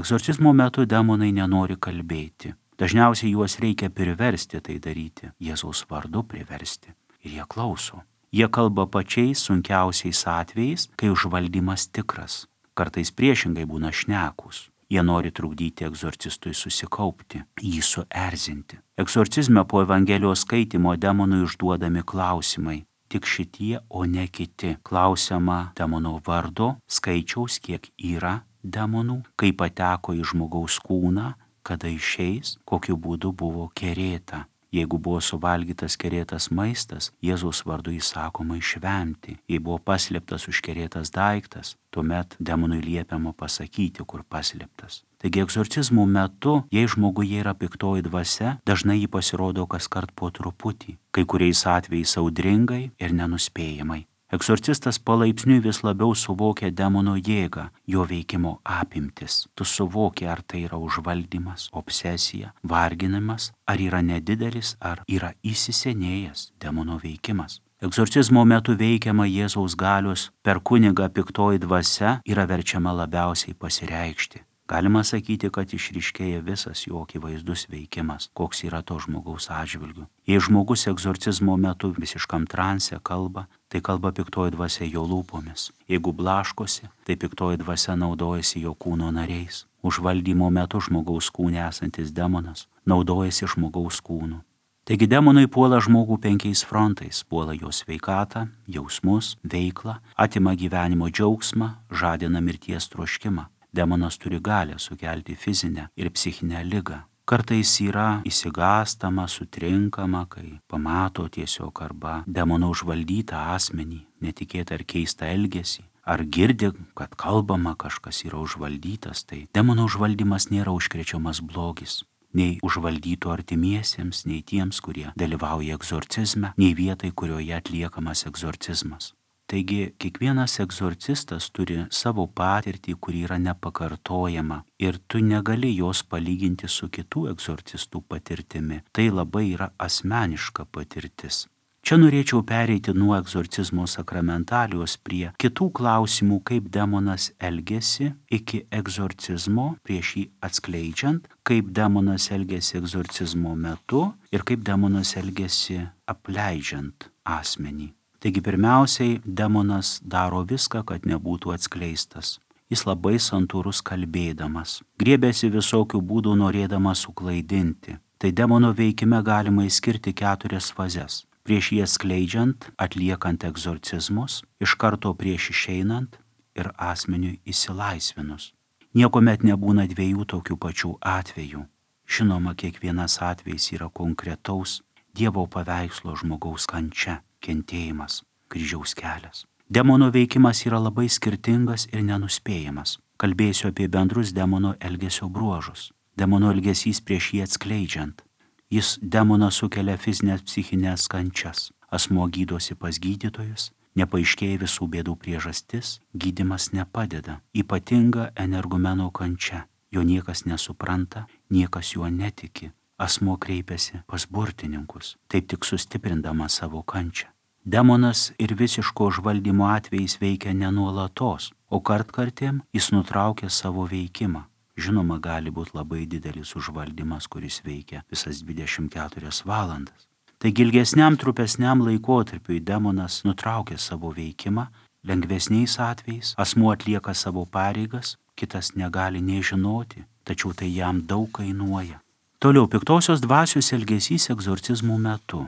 Egzorcizmo metu demonai nenori kalbėti. Dažniausiai juos reikia priversti tai daryti, Jėzaus vardu priversti. Ir jie klauso. Jie kalba pačiais sunkiausiais atvejais, kai užvaldymas tikras. Kartais priešingai būna šnekūs. Jie nori trukdyti egzorcistui susikaupti, jį suerzinti. Egzorcizme po Evangelijos skaitimo demonui užduodami klausimai. Tik šitie, o ne kiti. Klausiama demono vardo, skaičiaus, kiek yra demonų, kaip pateko į žmogaus kūną, kada išeis, kokiu būdu buvo kerėta. Jeigu buvo suvalgytas kerėtas maistas, Jėzaus vardu įsakoma išvemti. Jei buvo paslėptas užkerėtas daiktas, tuomet demonui liepiama pasakyti, kur paslėptas. Taigi egzorcizmų metu, jei žmoguje yra piktoji dvasia, dažnai jį pasirodo kaskart po truputį, kai kuriais atvejais audringai ir nenuspėjamai. Egzorcistas palaipsniui vis labiau suvokia demono jėgą, jo veikimo apimtis. Tu suvoki, ar tai yra užvaldymas, obsesija, varginimas, ar yra nedidelis, ar yra įsisenėjęs demono veikimas. Egzorcizmo metu veikiama Jėzaus galios, per kunigą piktoji dvasia yra verčiama labiausiai pasireikšti. Galima sakyti, kad išryškėja visas jo akivaizdus veikimas, koks yra to žmogaus atžvilgiu. Jei žmogus egzorcizmo metu visiškam transe kalba, tai kalba piktoji dvasia jo lūpomis. Jeigu blaškosi, tai piktoji dvasia naudojasi jo kūno nariais. Užvaldymo metu žmogaus kūne esantis demonas naudojasi žmogaus kūnu. Taigi demonai puola žmogų 5 frontais, puola jo sveikatą, jausmus, veiklą, atima gyvenimo džiaugsmą, žadina mirties troškimą. Demonas turi galę sukelti fizinę ir psichinę ligą. Kartais yra įsigąstama, sutrinkama, kai pamato tiesiog arba demono užvaldytą asmenį, netikėtą ar keistą elgesį, ar girdi, kad kalbama kažkas yra užvaldytas, tai demono užvaldymas nėra užkrečiamas blogis. Nei užvaldytų artimiesiems, nei tiems, kurie dalyvauja egzorcizme, nei vietai, kurioje atliekamas egzorcizmas. Taigi, kiekvienas egzorcistas turi savo patirtį, kuri yra nepakartojama ir tu negali jos palyginti su kitų egzorcistų patirtimi. Tai labai yra asmeniška patirtis. Čia norėčiau pereiti nuo egzorcizmo sakramentalijos prie kitų klausimų, kaip demonas elgesi iki egzorcizmo, prieš jį atskleidžiant, kaip demonas elgesi egzorcizmo metu ir kaip demonas elgesi apleidžiant asmenį. Taigi pirmiausiai demonas daro viską, kad nebūtų atskleistas. Jis labai santūrus kalbėdamas, griebiasi visokių būdų norėdamas suklaidinti. Tai demono veikime galima išskirti 4 fazes. Prieš jį atskleidžiant, atliekant egzorcizmus, iš karto prieš išeinant ir asmeniui išsilaisvinus. Niekuomet nebūna 2 tokių pačių atvejų. Žinoma, kiekvienas atvejis yra konkretaus Dievo paveikslo žmogaus kančia, kentėjimas, kryžiaus kelias. Demono veikimas yra labai skirtingas ir nenuspėjamas. Kalbėsiu apie bendrus demono elgesio bruožus. Demono elgesys prieš jį atskleidžiant. Jis demoną sukelia fizinės psichinės kančias. Asmuo gydosi pas gydytojus, nepaaiškėja visų bėdų priežastis, gydymas nepadeda. Ypatinga energumeno kančia. Jo niekas nesupranta, niekas juo netiki. Asmuo kreipiasi pas burtininkus, taip tik sustiprindama savo kančią. Demonas ir visiško užvaldymo atvejais veikia nenuolatos, o kartkartėm jis nutraukia savo veikimą. Žinoma, gali būti labai didelis užvaldymas, kuris veikia visas 24 valandas. Taigi ilgesniam, trupesniam laikotarpiui demonas nutraukia savo veikimą, lengvesniais atvejais asmuo atlieka savo pareigas, kitas negali nežinoti, tačiau tai jam daug kainuoja. Toliau, piktosios dvasios elgesys egzorcizmų metu.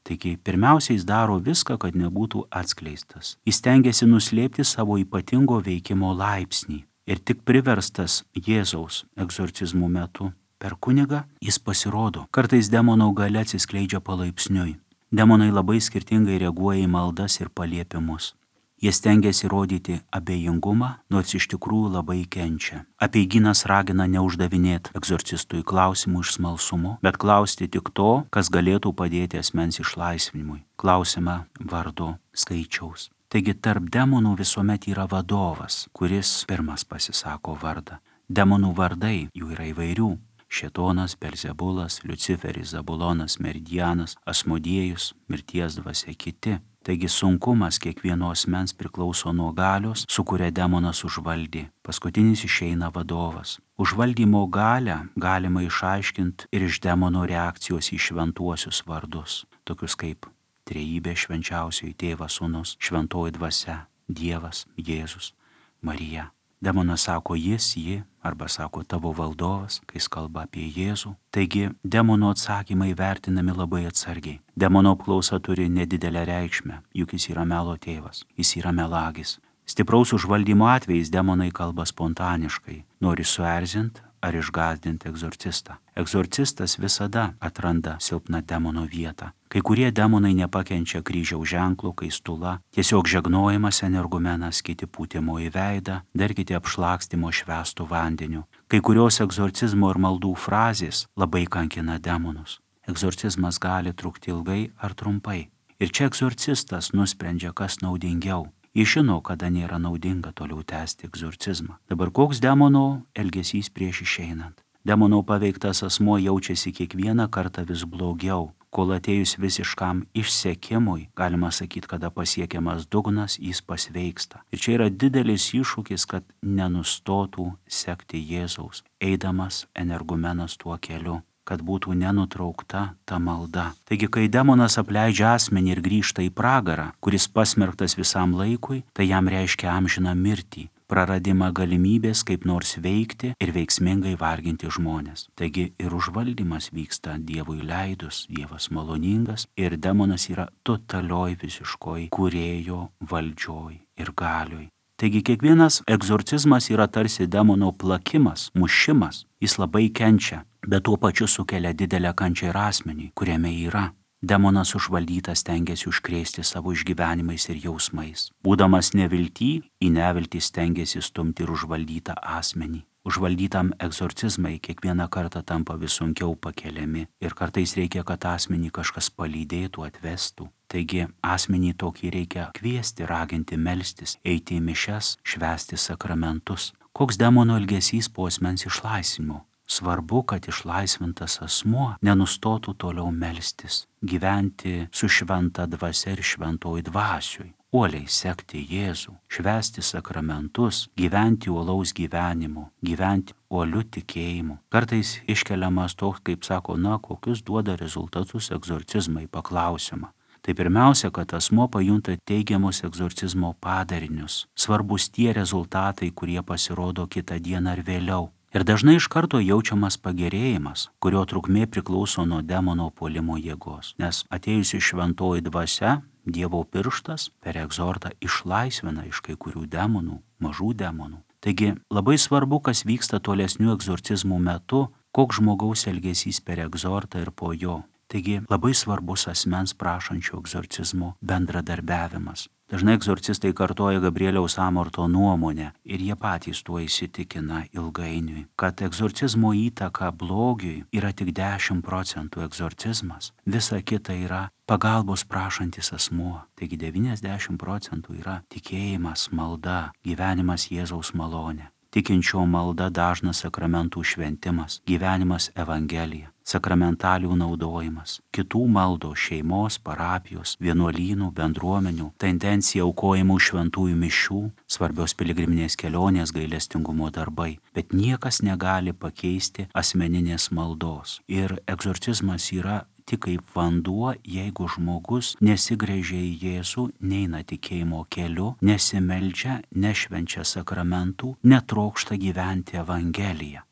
Taigi, pirmiausia, jis daro viską, kad nebūtų atskleistas. Jis stengiasi nuslėpti savo ypatingo veikimo laipsnį. Ir tik priverstas Jėzaus egzorcizmų metu per kunigą, jis pasirodo. Kartais demono galia atsiskleidžia palaipsniui. Demonai labai skirtingai reaguoja į maldas ir paliepimus. Jie stengiasi rodyti abejingumą, nors iš tikrųjų labai kenčia. Apeigynas ragina neuždavinėti egzorcistui klausimų iš smalsumo, bet klausti tik to, kas galėtų padėti asmens išlaisvinimui. Klausimą vardo skaičiaus. Taigi tarp demonų visuomet yra vadovas, kuris pirmas pasisako vardą. Demonų vardai jų yra įvairių. Šėtonas, Belzebulas, Liuciferis, Zabulonas, Meridianas, Asmodiejus, mirties dvasia kiti. Taigi sunkumas kiekvieno asmens priklauso nuo galios, su kuria demonas užvaldė. Paskutinis išeina vadovas. Užvaldymo galią galima išaiškinti ir iš demono reakcijos į šventuosius vardus, tokius kaip Trejybė švenčiausioji Tėvas Sūnus, šventoji dvasia, Dievas, Jėzus, Marija. Demonas sako jis, ji, arba sako tavo valdovas, kai jis kalba apie Jėzų. Taigi demono atsakymai vertinami labai atsargiai. Demono apklausa turi nedidelę reikšmę, juk jis yra melo tėvas, jis yra melagis. Stipraus užvaldymo atvejais demonai kalba spontaniškai, nori suerzinti ar išgąsdinti egzorcistą. Egzorcistas visada atranda silpną demono vietą. Kai kurie demonai nepakenčia kryžiaus ženklų, kai stula, tiesiog žegnojimas energumenas, kiti pūtimo į veidą, dar kiti apšlakstimo švęstų vandeniu. Kai kurios egzorcizmo ir maldų frazės labai kankina demonus. Egzorcizmas gali trukti ilgai ar trumpai. Ir čia egzorcistas nusprendžia, kas naudingiau. Jis žino, kada nėra naudinga toliau tęsti egzorcizmą. Dabar koks demono elgesys prieš išeinant? Demono paveiktas asmuo jaučiasi kiekvieną kartą vis blogiau, kol atėjus visiškam išsekimui, galima sakyti, kada pasiekiamas dugnas, jis pasveiksta. Ir čia yra didelis iššūkis, kad nenustotų sekti Jėzaus, eidamas energumenas tuo keliu, kad būtų nenutraukta ta malda. Taigi, kai demonas apleidžia asmenį ir grįžta į pragarą, kuris pasmerktas visam laikui, tai jam reiškia amžiną mirtį, praradimą galimybės kaip nors veikti ir veiksmingai varginti žmonės. Taigi ir užvaldymas vyksta Dievui leidus, Dievas maloningas ir demonas yra totalioj visiškoj kūrėjo valdžioj ir galioj. Taigi kiekvienas egzorcizmas yra tarsi demono plakimas, mušimas. Jis labai kenčia, bet tuo pačiu sukelia didelę kančią ir asmenį, kuriame yra. Demonas užvaldytas stengiasi užkrėsti savo išgyvenimais ir jausmais. Būdamas nevilty, į neviltį stengiasi stumti ir užvaldytą asmenį. Užvaldytam egzorcizmai kiekvieną kartą tampa vis sunkiau pakeliami ir kartais reikia, kad asmenį kažkas palydėtų, atvestų. Taigi asmenį tokį reikia kviesti, raginti melstis, eiti į mišias, švęsti sakramentus. Koks demono elgesys po asmens išlaisvinimo? Svarbu, kad išlaisvintas asmuo nenustotų toliau melstis, gyventi su šventa dvasia ir šventoj dvasioj, uoliai sekti Jėzų, švęsti sakramentus, gyventi uolaus gyvenimu, gyventi uoliu tikėjimu. Kartais iškeliamas toks, kaip sako, kokius duoda rezultatus egzorcizmai, paklausiama. Tai pirmiausia, kad asmuo pajunta teigiamus egzorcizmo padarinius. Svarbus tie rezultatai, kurie pasirodo kitą dieną ar vėliau. Ir dažnai iš karto jaučiamas pagerėjimas, kurio trukmė priklauso nuo demono puolimo jėgos. Nes atėjusi šventoji dvasia, Dievo pirštas per egzortą išlaisvina iš kai kurių demonų, mažų demonų. Taigi labai svarbu, kas vyksta tolesnių egzorcizmų metu, koks žmogaus elgesys per egzortą ir po jo. Taigi labai svarbus asmens prašančio egzorcizmo bendradarbiavimas. Dažnai egzorcistai kartoja Gabrieliaus Amorto nuomonę ir jie patys tuo įsitikina ilgainiui, kad egzorcizmo įtaka blogiui yra tik 10% egzorcizmas, visa kita yra pagalbos prašantis asmuo. Taigi 90% yra tikėjimas, malda, gyvenimas Jėzaus malonė. Tikinčio malda dažnas sakramentų šventimas, gyvenimas Evangelija, sakramentalijų naudojimas, kitų maldos, šeimos, parapijos, vienuolynų, bendruomenių, tendencija aukojimų šventųjų mišių, svarbios piligriminės kelionės, gailestingumo darbai, bet niekas negali pakeisti asmeninės maldos. Ir egzorcizmas yra tik kaip vanduo, jeigu žmogus nesigręžia į Jėzų, neina tikėjimo keliu, nesimeldžia, nešvenčia sakramentų, netrokšta gyventi Evangeliją.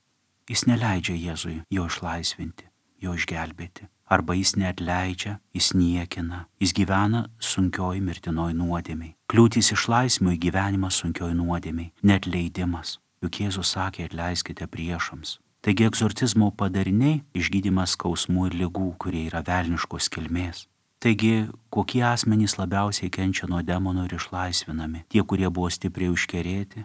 Jis neleidžia Jėzui jo išlaisvinti, jo išgelbėti. Arba jis neatleidžia, jis niekina, jis gyvena sunkioj mirtinoj nuodėmiai. Kliūtis išlaisvinimui gyvenimas sunkioj nuodėmiai, neatleidimas. Juk Jėzus sakė, atleiskite priešams. Taigi egzorcizmo padariniai išgydymas skausmų ir ligų, kurie yra velniškos kilmės. Taigi, kokie asmenys labiausiai kenčia nuo demonų ir išlaisvinami? Tie, kurie buvo stipriai užkerėti,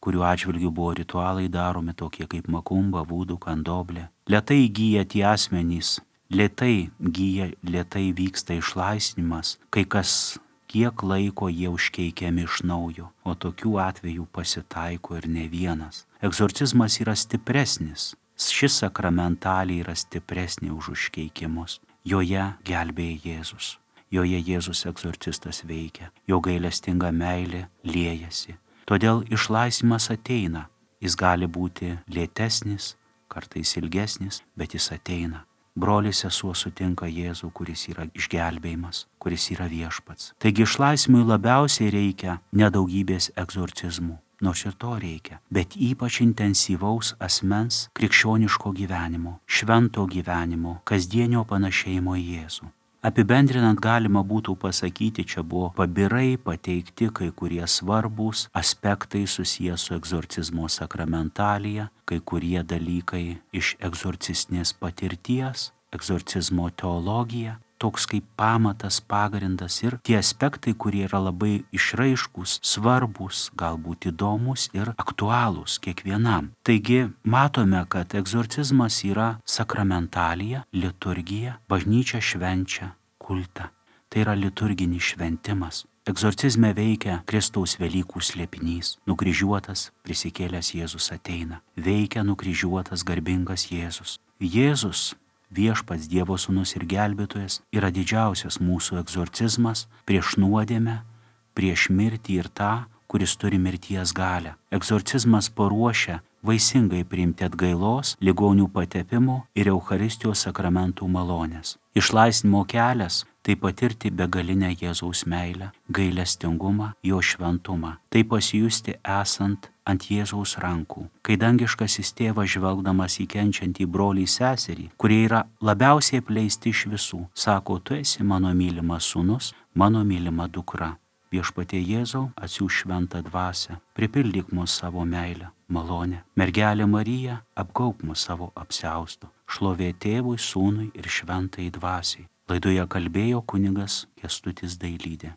kurių atžvilgių buvo ritualai daromi tokie kaip makumba, vūdų, kandoblė. Lėtai gyja tie asmenys, lėtai vyksta išlaisvinimas, kai kas kiek laiko jie užkeikiami iš naujo, o tokių atvejų pasitaiko ir ne vienas. Egzorcizmas yra stipresnis, šis sakramentalė yra stipresnė už užkeikimus. Joje gelbėja Jėzus, joje Jėzus egzorcistas veikia, jo gailestinga meilė liejasi. Todėl išlaisvinimas ateina, jis gali būti lėtesnis, kartais ilgesnis, bet jis ateina. Brolis sesuo sutinka Jėzų, kuris yra išgelbėjimas, kuris yra viešpats. Taigi išlaisvinimui labiausiai reikia nedaugybės egzorcizmų, nors ir to reikia, bet ypač intensyvaus asmens krikščioniško gyvenimo, švento gyvenimo, kasdienio panašėjimo į Jėzų. Apibendrinant galima būtų pasakyti, čia buvo pabirai pateikti kai kurie svarbūs aspektai susiję su egzorcizmo sakramentalija, kai kurie dalykai iš egzorcistinės patirties, egzorcizmo teologija, toks kaip pamatas, pagrindas ir tie aspektai, kurie yra labai išraiškūs, svarbūs, galbūt įdomus ir aktualūs kiekvienam. Taigi matome, kad egzorcizmas yra sakramentalija, liturgija, bažnyčia švenčia kultą. Tai yra liturginis šventimas. Egzorcizme veikia Kristaus Velykų slėpinys. Nukryžiuotas, prisikėlęs Jėzus ateina. Veikia nukryžiuotas garbingas Jėzus. Jėzus, viešpats Dievo sūnus ir gelbėtojas, yra didžiausias mūsų egzorcizmas prieš nuodėmę, prieš mirtį ir tą, kuris turi mirties galią. Egzorcizmas paruošia vaisingai priimti atgailos, ligonių patepimo ir Eucharistijos sakramentų malonės. Išlaisvinimo kelias – tai patirti begalinę Jėzaus meilę, gailestingumą, jo šventumą. Tai pasijusti esant ant Jėzaus rankų, kai dangiškasis tėvas žvelgdamas į kenčiantį brolį seserį, kurie yra labiausiai apleisti iš visų, sako, tu esi mano mylimas sūnus, mano mylima dukra. Viešpatie Jėzau, atsiųsk šventą dvasią, pripildyk mus savo meilę, malonę. Mergelė Marija, apgaubk mus savo apsiaustu. Šlovė Tėvui, Sūnui ir šventai dvasiai. Laidoje kalbėjo kunigas Kęstutis Dailydė.